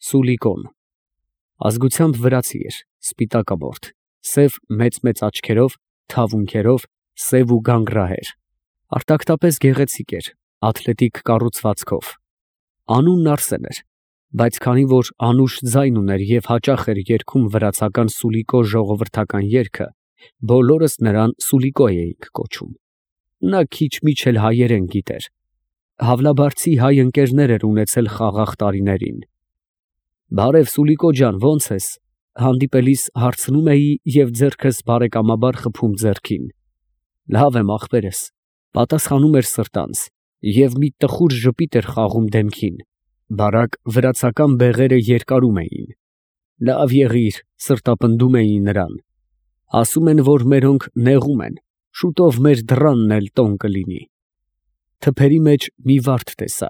Սուլիկոն ազգությամբ վրացի էր, սպիտակամորթ, սև մեծ աչքերով, թավունքերով, սև ու գանգրահեր, արտակտապես գեղեցիկ էր, աթլետիկ կառուցվածքով։ Անունն Արսեն էր, բայց քանի որ անուշ ձայն ուներ և հաճախ էր երգում վրացական Սուլիկո ժողովրդական երգը, բոլորս նրան Սուլիկո էինք կոչում։ Նա քիչ֊միչ էլ հայերեն գիտեր։ Հավլաբարձի հայ ընկերներ էր ունեցել խաղաղ տարիներին։ «Բարև Սուլիկո ջան, ո՞նց ես», հանդիպելիս հարցնում էի և ձեռքս բարեկամաբար խփում ձեռքին։ «Լավ եմ, ախպերս», պատասխանում էր սրտանց, և մի տխուր ժպիտ էր խաղում դեմքին, բարակ վրացական բեղերը երկարում էին։ «Լավ եղիր», սրտապնդում էի նրան։ «Ասում են, որ մերոնք նեղում են, շուտով մեր դռանն էլ տոն կլինի»։ Թփերի մեջ մի վարդ տեսա,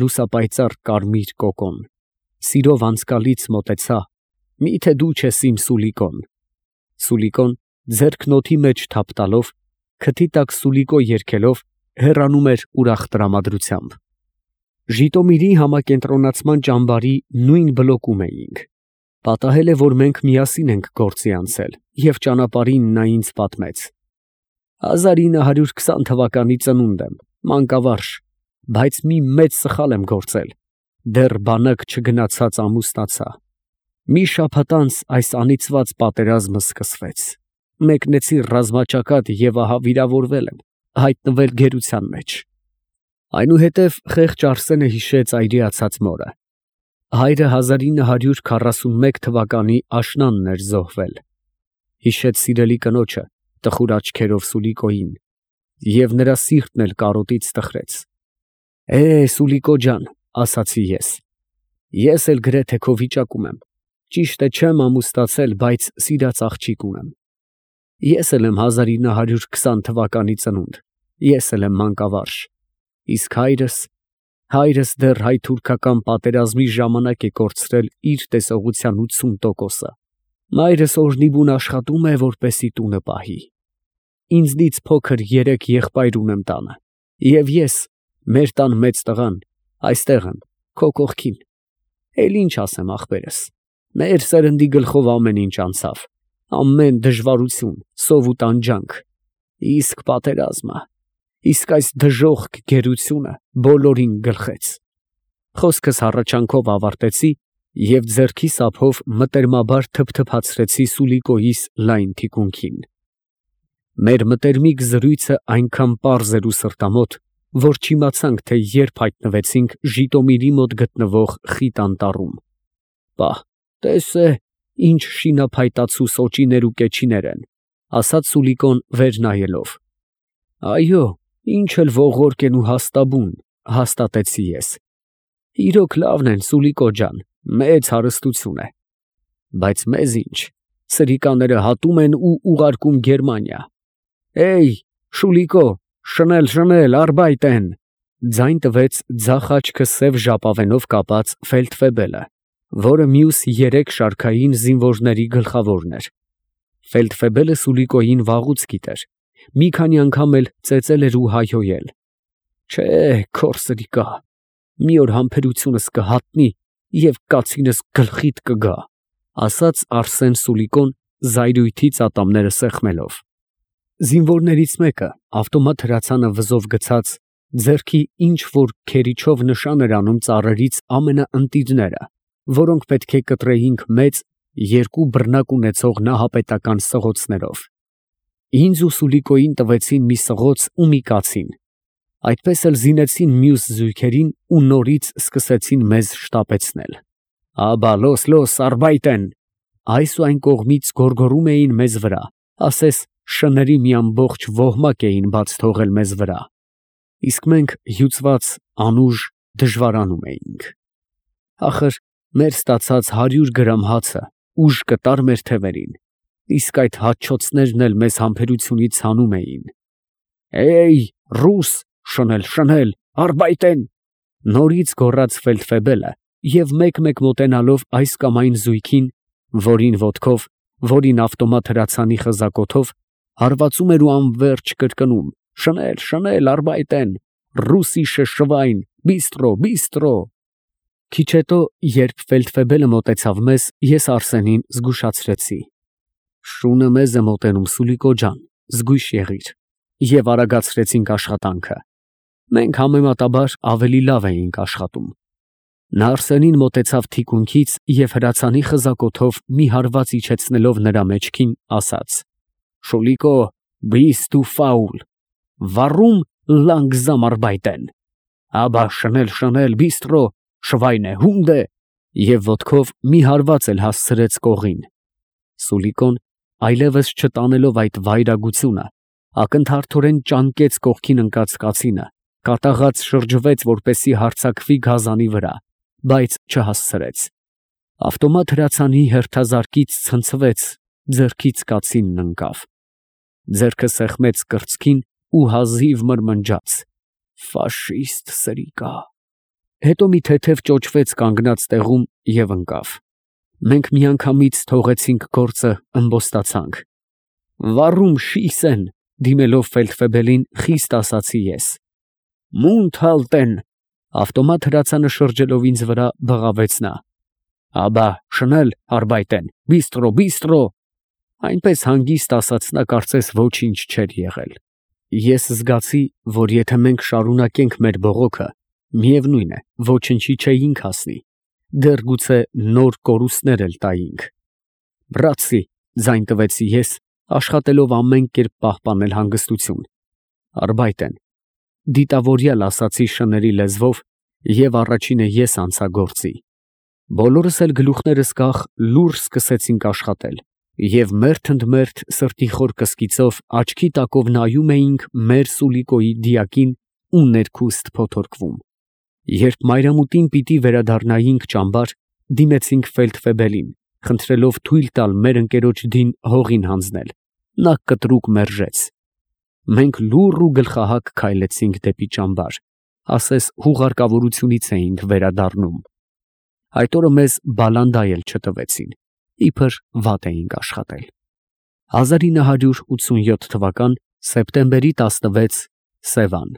լուսապայծառ կարմիր կոկոն, սիրով անցկալից մոտեցա, միթե դու չես իմ Սուլիկոն։ Սուլիկոն ձեռքն օդի մեջ թափ տալով, քթի տակ Սուլիկո երգելով, հեռանում էր ուրախ տրամադրությամբ։ Ժիտոմիրի համակենտրոնացման ճամբարի նույն բլոկում էինք։ Պատահել է, որ մենք միասին ենք գործի անցել, և ճանապարհին նա ինձ պատմեց. 1920 թվականի ծնունդ եմ, մանկավարժ, բայց մի մեծ սխալ եմ գործել, դեռ բանակ չգնացած ամուսնացա։ Մի շաբաթ անց այս անիծված պատերազմը սկսվեց, մեկնեցի ռազմաճակատ և ահա վիրավորվել եմ, հայտնվել գերության մեջ։ Այնուհետև խեղճ Արսենը հիշեց այրիացած մորը։ Հայրը 1941 թվականի աշնանն էր զոհվել։ Հիշեց սիրելի կնոջը, տխուր աչքերով Սուլիկոյին, և նրա սիրտն էլ կարոտից տխրեց։ Սուլիկո ջան, ասացի ես էլ գրեթե քո վիճակում եմ, ճիշտ է չեմ ամուսնացել, բայց սիրած աղջիկ ունեմ։ Ես էլ եմ 1920 թվականի ծնունդ, ես էլ եմ մանկավարժ, իսկ հայրս դեռ հայ֊թուրքական պատերազմի ժամանակ է կորցրել իր տեսողության 80%-ը։ Մայրս օրնիբուն աշխատում է, որպեսզի տունը պահի։ Ինձնից փոքր 3 եղբայր ունեմ տանը, և ես, մեր տան մեծ տղան, այստեղ եմ, քո կողքին։ Էլ ինչ ասեմ, ախպերս, մեր սերնդի գլխով ամեն ինչ անցավ, ամեն դժվարություն, սով ու տանջանք, իսկ պատերազմը, իսկ այս դժոխք գերությունը բոլորին գլխեց։ Խոսքս հառաչանքով ավարտեցի և ձեռքիս ափով մտերմաբար թփթփացրեցի Սուլիկոյիս լայն թիկունքին։ Մեր մտերմիկ զրույցը այնքան պարզ էր ու սրտամոտ, որ չիմացանք, թե երբ հայտնվեցինք Ժիտոմիրի մոտ գտնվող խիտ անտառում։ «Պահ, տես ինչ շինափայտացու սոճիներ ու կեչիներ են», ասաց Սուլիկոն վեր նայելով։ «Այո, ինչ էլ ողորկ են ու հաստաբուն», հաստատեցի ես։ «Իրոք լավն են, Սուլիկո ջան, մեծ հարստություն է։ Բայց մեզ ինչ, սրիկաները հատում են ու ուղարկում Գերմանիա։ Շուլիկո, շնել, արբայտեն», ձայն տվեց ձախ աչքը սև ժապավենով կապած ֆելդֆեբելը, որը մյուս 3 շարքային զինվորների գլխավորն էր։ Ֆելդֆեբելը Սուլիկոյին վաղուց գիտեր, մի քանի անգամ էլ ծեծել էր ու հայհոյել։ «Չէ, քոր սրիկա, մի օր համբերությունս կհատնի և կացինս գլխիդ կգա», ասաց Արսեն Սուլիկոն զայրույթից ատամները սեղմելով։ Զինվորներից մեկը, ավտոմատ հրացանը վզով գցած, ձեռքի ինչ որ քերիչով նշան էր անում ծառերից ամենաընտիրները, որոնք պետք է կտրեինք մեծ, 2 բռնակ ունեցող նահապետական սղոցներով։ Ինձ ու Սուլիկոյին տվեցին մի սղոց ու մի կացին, այդպես էլ զինեցին մյուս զույգերին ու նորից սկսեցին մեզ շտապեցնել։ «Աբա, լոս, արբայտեն», այս ու այն կողմից գոռգոռում էին մեզ վրա, ասես շների մի ամբողջ ոհմակ էին բաց թողել մեզ վրա, իսկ մենք հյուծված անուժ դժվարանում էինք։ Ախր մեր ստացած 100 գրամ հացը ուժ կտար մեր թևերին, իսկ այդ հաճոցներն էլ մեզ համբերությունից հանում էին։ Ռուս, շնել, արբայտեն, նորից գոռաց ֆելդֆեբելը և մեկ-մեկ մոտենալով այս կամ այն զույգին, որին ոտքով, որին ավտոմատ հրացանի խզակոթով, հարվածում էր ու անվերջ կրկնում. շնել, արբայտեն, ռուսիսche Schwein, բիստրո։ Քիչ հետո, երբ ֆելդֆեբելը մոտեցավ մեզ, ես Արսենին զգուշացրեցի. «Շունը մեզ է մոտենում, Սուլիկո ջան, զգույշ եղիր», և արագացրեցինք աշխատանքը։ Մենք համեմատաբար ավելի լավ էինք աշխատում։ Նա Արսենին մոտեցավ թիկունքից և հրացանի խզակոթով մի հարված իջեցնելով նրա մեջքին, ասաց. «Շուլիկո, bist du faul, warum langsam arbeiten, aber schnell bistro, Schweinehunde», և ոտքով մի հարված էլ հասցրեց կողին։ Սուլիկոն, այլևս չտանելով այդ վայրագությունը, ակնթարթորեն ճանկեց կողքին ընկած կացինը, կատաղած շրջվեց, որպեսզի հարձակվի գազանի վրա, բայց չհասցրեց։ Ավտոմատ հրացանի հերթազարկից ցնցվեց, ձեռքից կացինն ընկավ։ Ձեռքը սեղմեց կրծքին ու հազիվ մրմնջաց. «Ֆաշիստ սրիկա»։ Հետո մի թեթև ճոճվեց կանգնած տեղում և ընկավ։ Մենք միանգամից թողեցինք գործը, ըմբոստացանք։ «Warum schießen», դիմելով ֆելդֆեբելին, խիստ ասացի ես։ «Mund halten», ավտոմատ հրացանը շրջելով ինձ վրա, բղավեց նա։ «Aber schnell arbeiten, bistro», այնպես հանգիստ ասաց նա, կարծես ոչինչ չէր եղել։ Ես զգացի, որ եթե մենք շարունակենք մեր բողոքը, միևնույն է, ոչնչի չէինք հասնի, դեռ գուցե նոր կորուստներ էլ տայինք։ «Բրացի», ձայն տվեցի ես, աշխատելով ամեն կերպ պահպանել հանգստություն։ «Arbeiten», դիտավորյալ ասացի շների լեզվով և առաջինը ես անցա գործի։ Բոլորս էլ գլուխներս կախ լուռ սկսեցինք աշխատել և մերթ ընդ մերթ սրտի խոր կսկիծով աչքի տակով նայում էինք մեր Սուլիկոյի դիակին ու ներքուստ փոթորկվում։ Երբ մայրամուտին պիտի վերադառնայինք ճամբար, դիմեցինք ֆելդֆեբելին, խնդրելով թույլ տալ մեր ընկերոջ դին հողին հանձնել։ Նա կտրուկ մերժեց։ Մենք լուռ ու գլխահակ քայլեցինք դեպի ճամբար, ասես հուղարկավորությունից էինք վերադառնում։ Այդ օրը մեզ բալանդա էլ չտվեցին, իբր վատ էինք աշխատել։ 1987 թվական սեպտեմբերի 16, Սևան։